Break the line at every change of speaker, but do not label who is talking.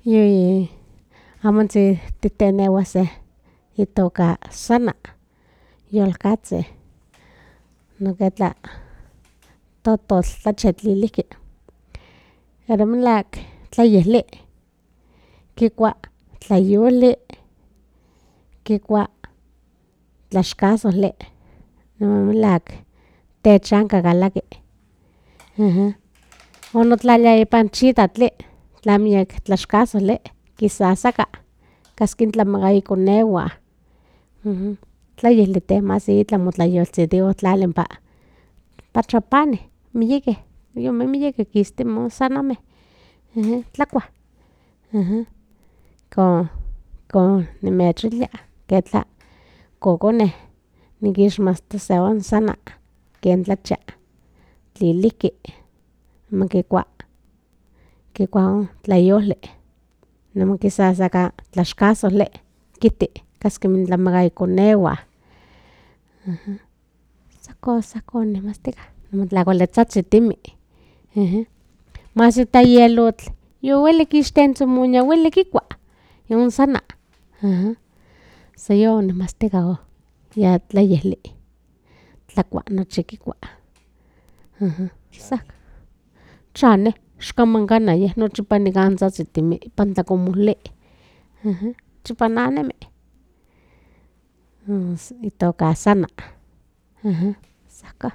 Yui amontzin titenewa se itoka sana yolkatzi noketla tototl tlachetliliki pero melak tlayili kikua tlayoli kikua tlaxkazoli melak techanka kalaki onotlalia ipan chitlatli tla miek tlaxkazoli kisasaka kaski tlamaka ikonehuan tlayili temaka itla motlayolsitiwa tlali ompa trapani miyekeh yome miyekeh kistimeh san ome tlakua kon nimechilia ketla kokoneh nikixmati se onsana ken tlachia tliliki makikua tlayoli niman kisasaka tlaxkazoli kiti kaski tlamaka ikonehuan sakon nimastika motlakualitozhizhitimi mas ita yelotl yoweli kixtentzomonia yoweli kikua yon sana san yon nimastika ya tlayili tlakua nochi kikua san chane ixkamankan yeh nochipa nikan zhazhitimi ipan tlakomoli nochipa nanemi itoka sana san ka.